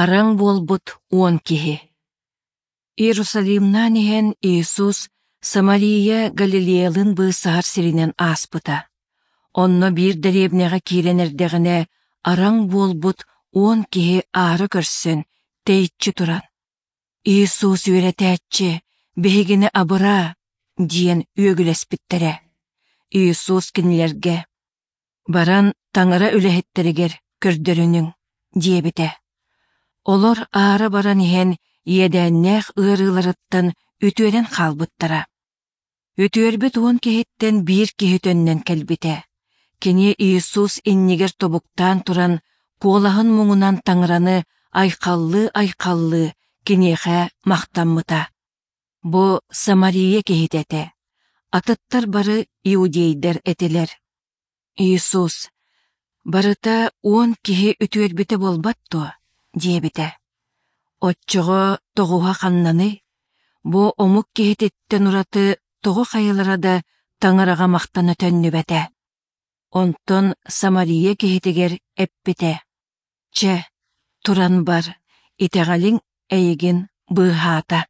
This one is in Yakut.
Араҥ буолбут уон киһи. Иерусалимнаан иһэн Иисус Самария Галилеялыын быысаһар сиринэн ааспыта. Онно биир дэриэбинэҕэ киирэн эрдэҕинэ араҥ буолбут уон киһи аара көрсөн, тэйиччи туран: «Иисус үөрэтээччи, биһигини абыраа!» диэн үөгүлэспиттэрэ. Иисус кинилэргэ: «Баран Таҥара үлэһиттэригэр көрдөрүнүҥ» диэбитэ. Олор аара баран иһэн иэдээннээх ыарыыларыттан үтүөрэн хаалбыттара. Үтүөрбүт уон киһиттэн биир киһи төннөн кэлбитэ. Кини Иисус иннигэр тобуктаан туран, куолаһын муҥунан Таҥараны айхаллыы-айхаллыы киниэхэ махтаммыта. Бу Самария киһитэ этэ. Атыттар бары иудейдар этилэр. Иисус: «Барыта уон киһи үтүөрбүтэ буолбат дуо?» диэбитэ. Оччоҕо тоҕуһа ханнаный? Бу омук киһититтэн ураты тоҕо хайалара да Таҥараҕа махтана төннүбэтэ. Онтон Самария киһитигэр эппитэ: «Чэ, туран бар, итэҕэлиҥ эйигин быыһаата».